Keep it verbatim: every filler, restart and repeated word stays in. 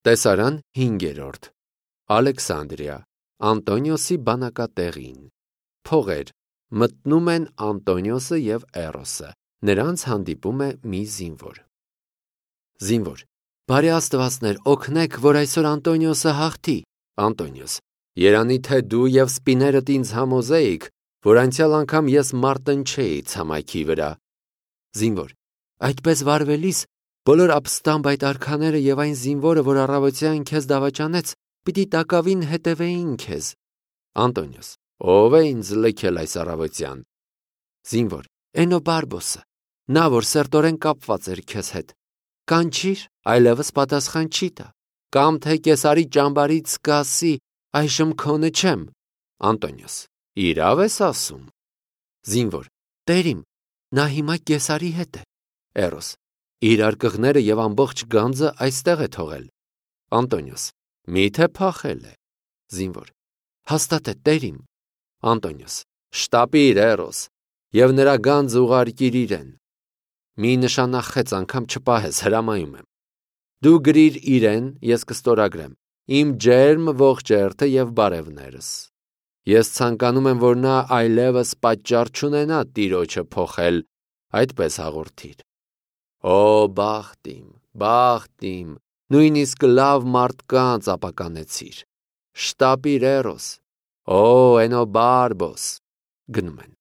Տեսարան հինգերորդ Ալեքսանդրիա Անտոնիոսի բանակատեղին Փողեր մտնում են Անտոնիոսը և Էրոսը, նրանց հանդիպում է մի զինվոր։ Զինվոր. Բարի աստվածներ, օգնեք, որ այսօր Անտոնիոսը հաղթի։ Անտոնիոս. Երանի թե դու և սպիներդ ինձ համոզեիք, որ անցյալ անգամ ես մարտնչեի ցամաքի վրա։ Զինվոր. Այդպես վարվելիս բոլոր ապստամբ այդ արքաները և այն զինվորը, որ առավոտյան քեզ դավաճանեց, պիտի տակավին հետևեին քեզ։ Անտոնիոս. Ո՞վ է ինձ լքել այս առավոտյան։ Զինվոր. Էնոբարբոսը, նա, որ սերտորեն կապված էր քեզ հետ։ Կանչիր, այլևս պատասխան չի տա, կամ թե Կեսարի ճամբարից կասի, այժմ քոնը չեմ։ Անտոնիոս. Իրավ ես ասում։ Զինվոր. Տերիմ, նա հիմա Կեսարի հետ է։ Էրոս. իր արկղները և ամբողջ գանձը այստեղ է թողել։ Անտոնիոս. Մի՞թե փախել է։ Զինվոր. հաստատ է, տերիմ։ Անտոնիոս. շտապիր, Էրոս, և նրա գանձը ուղարկիր իրեն։ Մի նշանախեց անգամ չպահես, հրամայում եմ։ Դու գրիր իրեն, ես կստորագրեմ, իմ ջերմ ողջերթը և բարևներս։ Ես ցանկանում եմ, որ նա այլևս պատճառ չունենա տիրոջը փոխել, այդպես հաղորդիր։ Օ, բախտ իմ, բախտ իմ, նույնիսկ լավ մարդկանց ապականեցիր։ Շտապիր, Էրոս։ Օ, Էնոբարբոս։ Գնում են։